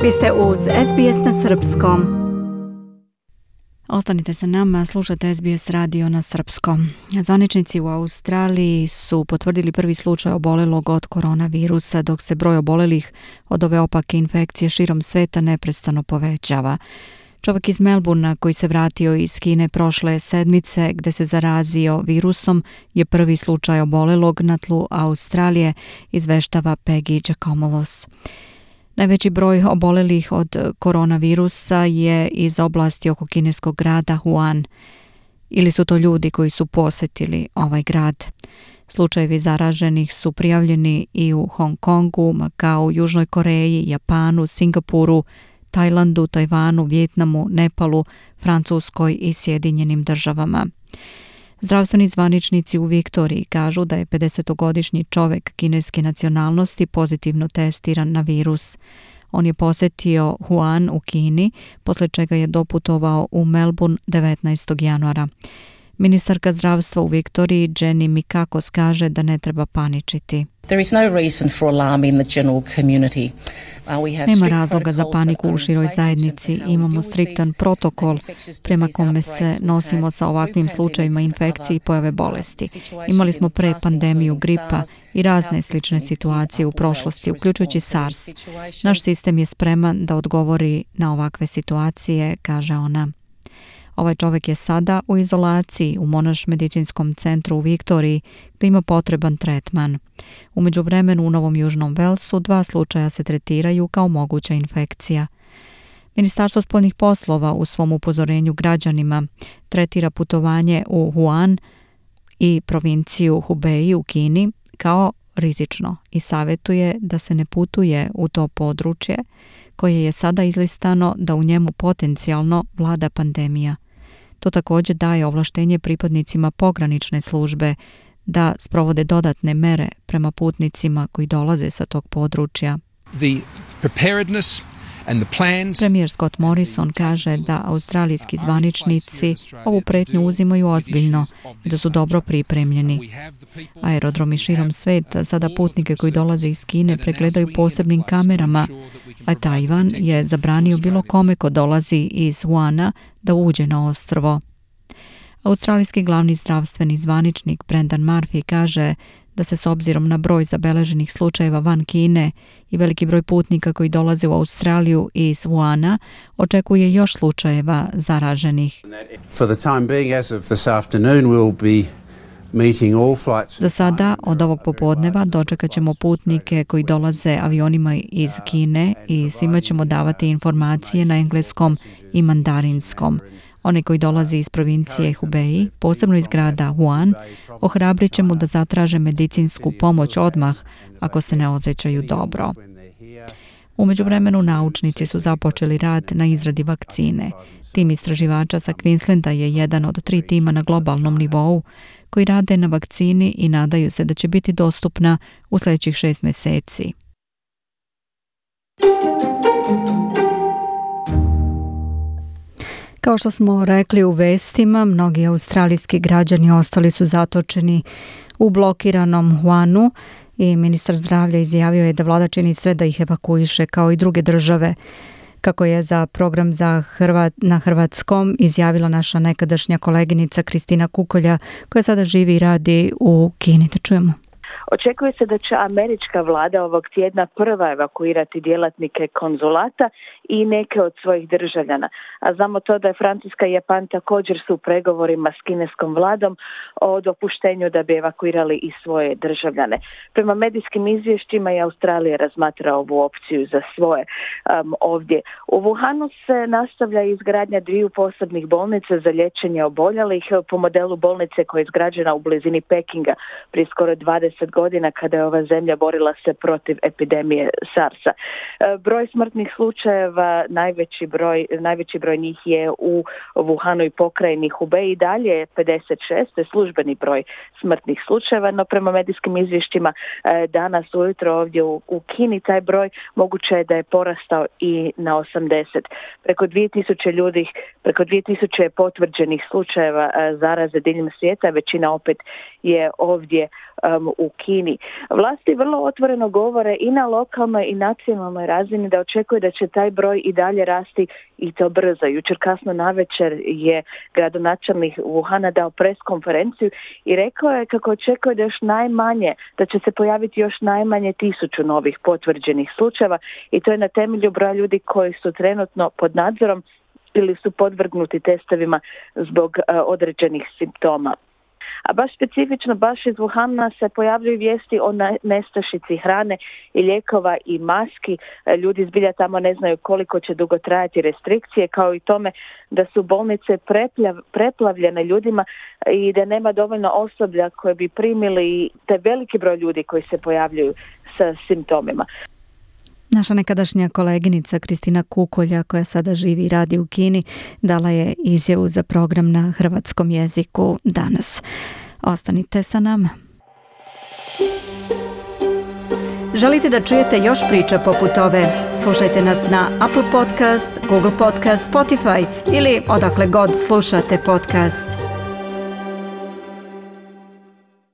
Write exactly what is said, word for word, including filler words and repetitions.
Vi ste uz S B S na srpskom. Ostanite sa nama, slušate S B S radio na srpskom. Zvaničnici u Australiji su potvrdili prvi slučaj obolelog od koronavirusa, dok se broj obolelih od ove opake infekcije širom sveta neprestano povećava. Čovjek iz Melbournea koji se vratio iz Kine prošle sedmice gdje se zarazio virusom je prvi slučaj obolelog na tlu Australije, izveštava Peggy Giacomolos. Najveći broj obolelih od koronavirusa je iz oblasti oko kineskog grada Wuhan. Ili su to ljudi koji su posjetili ovaj grad. Slučajevi zaraženih su prijavljeni i u Hong Kongu, Makau, Južnoj Koreji, Japanu, Singapuru, Tajlandu, Tajvanu, Vijetnamu, Nepalu, Francuskoj i Sjedinjenim državama. Zdravstveni zvaničnici u Viktoriji kažu da je pedesetogodišnji čovjek kineske nacionalnosti pozitivno testiran na virus. On je posjetio Wuhan u Kini, poslije čega je doputovao u Melbourne devetnaestog januara. Ministarka zdravstva u Viktoriji Jenny Mikakos kaže da ne treba paničiti. Nema razloga za paniku u široj zajednici. Imamo striktan protokol prema kome se nosimo sa ovakvim slučajevima infekcije i pojave bolesti. Imali smo pre pandemiju gripa i razne slične situacije u prošlosti, uključujući SARS. Naš sistem je spreman da odgovori na ovakve situacije, kaže ona. Ovaj čovjek je sada u izolaciji u Monash medicinskom centru u Viktoriji gdje ima potreban tretman. U međuvremenu u Novom Južnom Velsu dva slučaja se tretiraju kao moguća infekcija. Ministarstvo spoljnih poslova u svom upozorenju građanima tretira putovanje u Wuhan i provinciju Hubei u Kini kao rizično i savjetuje da se ne putuje u to područje koje je sada izlistano da u njemu potencijalno vlada pandemija. To također daje ovlaštenje pripadnicima pogranične službe da sprovode dodatne mere prema putnicima koji dolaze sa tog područja. Premijer Scott Morrison kaže da australijski zvaničnici ovu pretnju uzimaju ozbiljno i da su dobro pripremljeni. Aerodromi širom sveta sada putnike koji dolaze iz Kine pregledaju posebnim kamerama, a Tajvan je zabranio bilo kome ko dolazi iz Wuhana da uđe na ostrvo. Australijski glavni zdravstveni zvaničnik Brendan Murphy kaže da se s obzirom na broj zabeleženih slučajeva van Kine i veliki broj putnika koji dolaze u Australiju iz Wuhana očekuje još slučajeva zaraženih. Za sada, od ovog popodneva, dočekat ćemo putnike koji dolaze avionima iz Kine i svima ćemo davati informacije na engleskom i mandarinskom. Oni koji dolaze iz provincije Hubei, posebno iz grada Wuhan, ohrabrit ćemo da zatraže medicinsku pomoć odmah ako se ne osjećaju dobro. U međuvremenu naučnici su započeli rad na izradi vakcine. Tim istraživača sa Queenslanda je jedan od tri tima na globalnom nivou koji rade na vakcini i nadaju se da će biti dostupna u sljedećih šest mjeseci. Kao što smo rekli u vestima, mnogi australijski građani ostali su zatočeni u blokiranom Wuhanu i ministar zdravlja izjavio je da vlada čini sve da ih evakuiše kao i druge države. Kako je za program za Hrvat, na hrvatskom izjavila naša nekadašnja koleginica Kristina Kukolja, koja sada živi i radi u Kini. Da čujemo. Očekuje se da će američka vlada ovog tjedna prva evakuirati djelatnike konzulata i neke od svojih državljana. A znamo to da je Francuska i Japan također su u pregovorima s kineskom vladom o dopuštenju da bi evakuirali i svoje državljane. Prema medijskim izvješćima i Australija razmatra ovu opciju za svoje um, ovdje. U Wuhanu se nastavlja izgradnja dviju posebnih bolnica za liječenje oboljelih po modelu bolnice koja je izgrađena u blizini Pekinga prije skoro dvadeset godina kada je ova zemlja borila se protiv epidemije SARS-a. Broj smrtnih slučajeva, najveći broj, najveći broj njih je u Wuhanu i pokrajini Hubei i dalje je pedeset šest, to je službeni broj smrtnih slučajeva, no prema medijskim izvješćima danas ujutro ovdje u, u Kini taj broj moguće je da je porastao i na osamdeset. Preko dvije tisuće ljudi, preko dvije tisuće potvrđenih slučajeva zaraze diljem svijeta, većina opet je ovdje um, u Kini. Vlasti vrlo otvoreno govore i na lokalnoj i nacionalnoj razini da očekuje da će taj broj i dalje rasti i to brzo. Jučer kasno navečer je gradonačelnik Wuhana dao pres konferenciju i rekao je kako očekuje da još najmanje, da će se pojaviti još najmanje tisuću novih potvrđenih slučajeva i to je na temelju broja ljudi koji su trenutno pod nadzorom ili su podvrgnuti testovima zbog uh, određenih simptoma. A baš specifično, baš iz Wuhana se pojavljuju vijesti o nestašici hrane i lijekova i maski. Ljudi zbilja tamo ne znaju koliko će dugo trajati restrikcije, kao i tome da su bolnice preplav, preplavljene ljudima i da nema dovoljno osoblja koje bi primili taj veliki broj ljudi koji se pojavljuju sa simptomima. Naša nekadašnja koleginica Kristina Kukolja, koja sada živi i radi u Kini, dala je izjavu za program na hrvatskom jeziku danas. Ostanite sa nama. Želite da čujete još priča poput ove? Slušajte nas na Apple Podcast, Google Podcast, Spotify ili odakle god slušate podcast.